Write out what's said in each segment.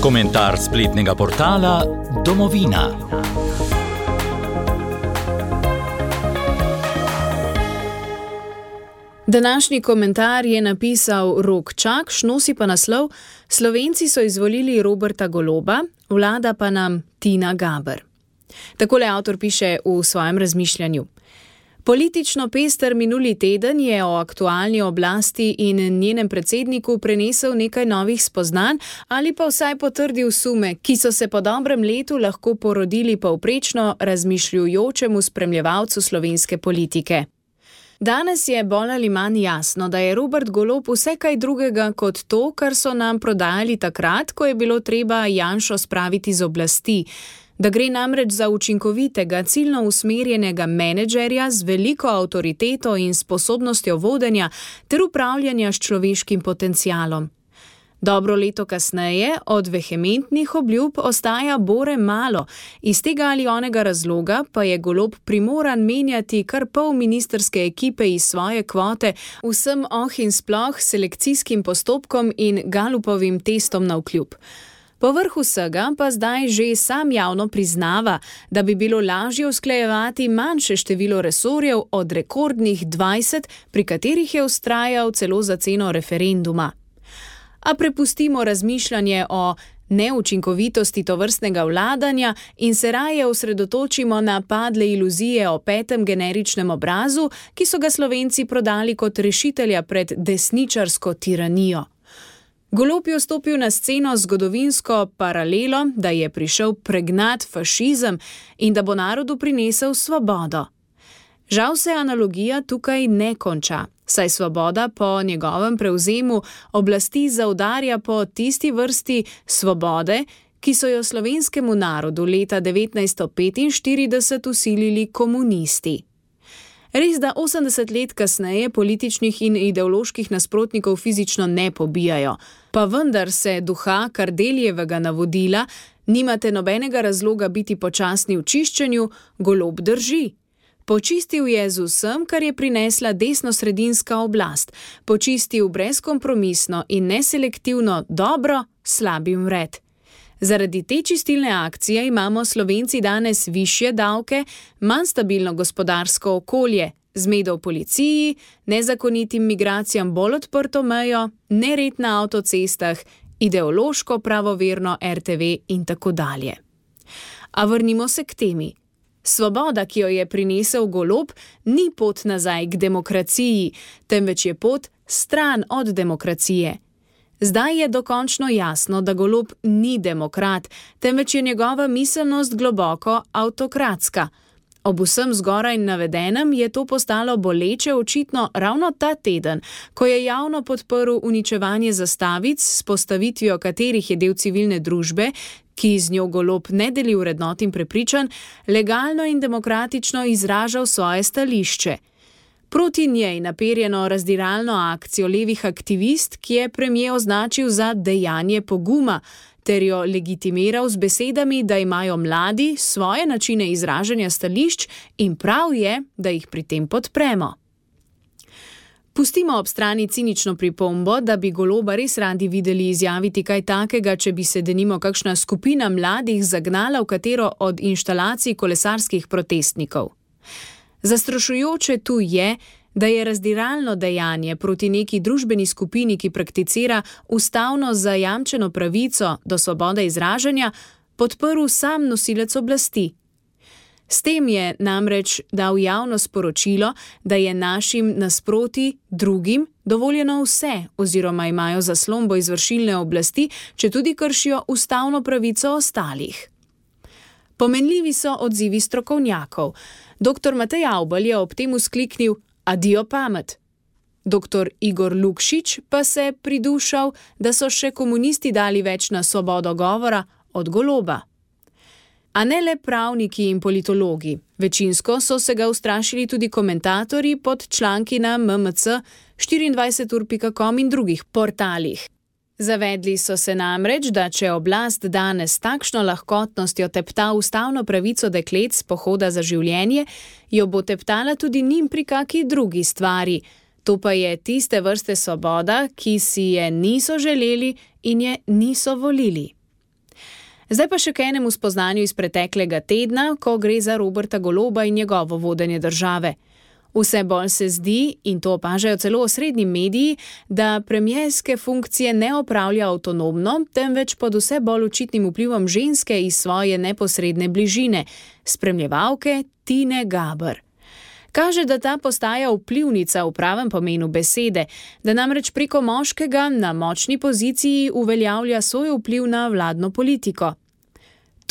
Komentar spletnega portala Domovina. Današnji komentar je napisal Rok Čakš, nosi pa naslov: Slovenci so izvolili Roberta Goloba, vlada pa nam Tina Gaber. Takole avtor piše v svojem razmišljanju. Politično pester minuli teden je o aktualni oblasti in njenem predsedniku prenesel nekaj novih spoznanj ali pa vsaj potrdil sume, ki so se po dobrem letu lahko porodili povprečno razmišljujočemu spremljevalcu slovenske politike. Danes je bolj ali manj jasno, da je Robert Golob vse kaj drugega kot to, kar so nam prodajali takrat, ko je bilo treba Janšo spraviti z oblasti. Da gre namreč za učinkovitega, ciljno usmerjenega menedžerja z veliko avtoriteto in sposobnostjo vodenja ter upravljanja s človeškim potencialom. Dobro leto kasneje od vehementnih obljub ostaja bore malo, iz tega ali onega razloga pa je Golob primoran menjati kar pol ministrske ekipe iz svoje kvote vsem in sploh selekcijskim postopkom in Galupovim testom navkljub. Povrh vsega pa zdaj že sam javno priznava, da bi bilo lažje usklajevati manjše število resorjev od rekordnih 20, pri katerih je vztrajal celo za ceno referenduma. A prepustimo razmišljanje o neučinkovitosti tovrstnega vladanja in se raje osredotočimo na padle iluzije o petem generičnem obrazu, ki so ga Slovenci prodali kot rešitelja pred desničarsko tiranijo. Golob je vstopil na sceno z zgodovinsko paralelo, da je prišel pregnat fašizem in da bo narodu prinesel svobodo. Žal se analogija tukaj ne konča, saj svoboda po njegovem prevzemu oblasti zaudarja po tisti vrsti svobode, ki so jo slovenskemu narodu leta 1945 vsilili komunisti. Res, da 80 let kasneje političnih in ideoloških nasprotnikov fizično ne pobijajo, pa vendar se duha Kardeljevega navodila nimate nobenega razloga biti počasni v čiščenju, Golob drži. Počistil je z vsem, kar je prinesla desnosredinska oblast, počistil brezkompromisno in neselektivno dobro, slabim vred. Zaradi te čistilne akcije imamo Slovenci danes višje davke, manj stabilno gospodarsko okolje, zmedo v policiji, nezakonitim migracijam bolj odprto mejo, nered na avtocestah, ideološko pravoverno RTV in tako dalje. A vrnimo se k temi. Svoboda, ki jo je prinesel Golob, ni pot nazaj k demokraciji, temveč je pot stran od demokracije. Zdaj je dokončno jasno, da Golob ni demokrat, temveč je njegova miselnost globoko avtokratska. Ob vsem zgoraj navedenem je to postalo boleče očitno ravno ta teden, ko je javno podprl uničevanje zastavic, s postavitvijo katerih je del civilne družbe, ki z njo Golob ne deli vrednot in prepričanj, legalno in demokratično izražal svoje stališče. Proti njej naperjeno razdiralno akcijo levih aktivist, ki je premier označil za dejanje poguma, ter jo legitimiral z besedami, da imajo mladi svoje načine izražanja stališč in prav je, da jih pri tem podpremo. Pustimo ob strani cinično pripombo, da bi Goloba res radi videli izjaviti kaj takega, če bi se denimo kakšna skupina mladih zagnala v katero od inštalacij kolesarskih protestnikov. Zastrašujoče tu je, da je razdiralno dejanje proti neki družbeni skupini, ki prakticira ustavno zajamčeno pravico do svobode izražanja, podprl sam nosilec oblasti. S tem je namreč dal javno sporočilo, da je našim nasproti drugim dovoljeno vse oziroma imajo zaslombo izvršilne oblasti, če tudi kršijo ustavno pravico ostalih. Pomenljivi so odzivi strokovnjakov. Dr. Matej Avbelj je ob tem vzkliknil: Adijo pamet. Dr. Igor Lukšič pa se pridušal, da so še komunisti dali več na svobodo govora od Goloba. A ne le pravniki in politologi. Večinsko so se ga ustrašili tudi komentatorji pod članki na MMC, 24ur.com in drugih portalih. Zavedli so se namreč, da če oblast danes takšno lahkotnostjo tepta ustavno pravico deklet s pohoda za življenje, jo bo teptala tudi njim pri kaki drugi stvari. To pa je tiste vrste svoboda, ki si je niso želeli in je niso volili. Zdaj pa še k enemu spoznanju iz preteklega tedna, ko gre za Roberta Goloba in njegovo vodenje države. Vse bolj se zdi, in to opažajo celo osrednji mediji, da premierske funkcije ne opravlja avtonomno, temveč pod vse bolj očitnim vplivom ženske iz svoje neposredne bližine, spremljevalke Tine Gaber. Kaže, da ta postaja vplivnica v pravem pomenu besede, da namreč preko moškega na močni poziciji uveljavlja svoj vpliv na vladno politiko.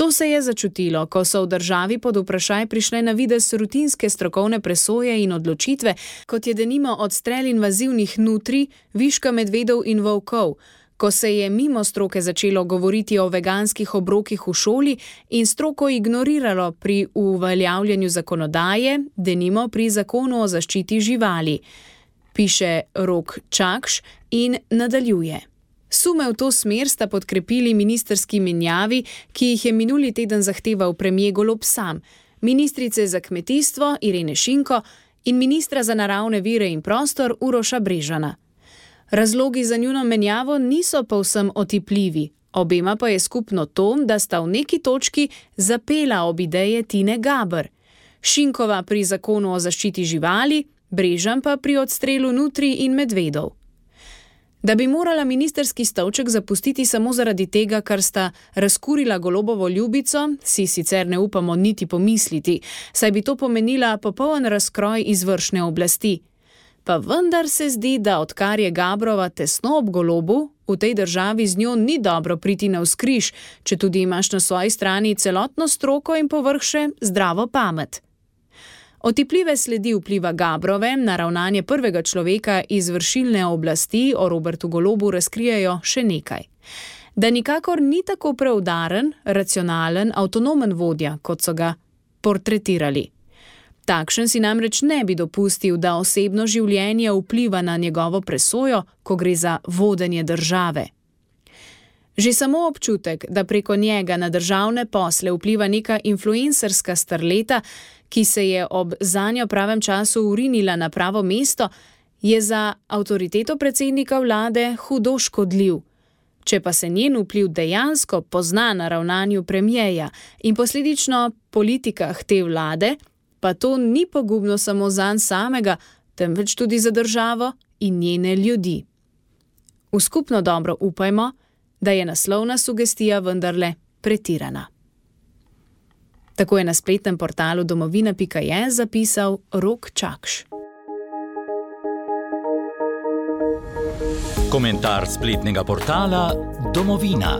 To se je začutilo, ko so v državi pod vprašaj prišle na videz rutinske strokovne presoje in odločitve, kot je denimo odstrel invazivnih nutrij, viška medvedov in volkov, ko se je mimo stroke začelo govoriti o veganskih obrokih v šoli in stroko ignoriralo pri uveljavljanju zakonodaje, denimo pri zakonu o zaščiti živali, piše Rok Čakš in nadaljuje. Sume v to smer sta podkrepili ministrski menjavi, ki jih je minuli teden zahteval premier Golob sam, ministrice za kmetijstvo Irene Šinko in ministra za naravne vire in prostor Uroša Brežana. Razlogi za njuno menjavo niso povsem otipljivi, obema pa je skupno to, da sta v neki točki zapela ob ideje Tine Gaber. Šinkova pri zakonu o zaščiti živali, Brežan pa pri odstrelu nutrij in medvedov. Da bi morala ministrski stolček zapustiti samo zaradi tega, ker sta razkurila Golobovo ljubico, si sicer ne upamo niti pomisliti, saj bi to pomenila popoln razkroj izvršne oblasti. Pa vendar se zdi, da odkar je Gabrova tesno ob Golobu, v tej državi z njo ni dobro priti navzkriž, četudi imaš na svoji strani celotno stroko in povrh še zdravo pamet. Otipljive sledi vpliva Gabrove na ravnanje prvega človeka iz vršilne oblasti o Robertu Golobu razkrijejo še nekaj. Da nikakor ni tako preudaren, racionalen, avtonomen vodja, kot so ga portretirali. Takšen si namreč ne bi dopustil, da osebno življenje vpliva na njegovo presojo, ko gre za vodenje države. Že samo občutek, da preko njega na državne posle vpliva neka influencerska starleta, ki se je ob zanjo pravem času urinila na pravo mesto, je za avtoriteto predsednika vlade hudo škodljiv. Če pa se njen vpliv dejansko pozna na ravnanju premierja in posledično politikah te vlade, pa to ni pogubno samo zanj samega, temveč tudi za državo in njene ljudi. V skupno dobro upajmo, da je naslovna sugestija vendarle pretirana. Tako je na spletnem portalu domovina.je zapisal Rok Čakš. Komentar spletnega portala Domovina.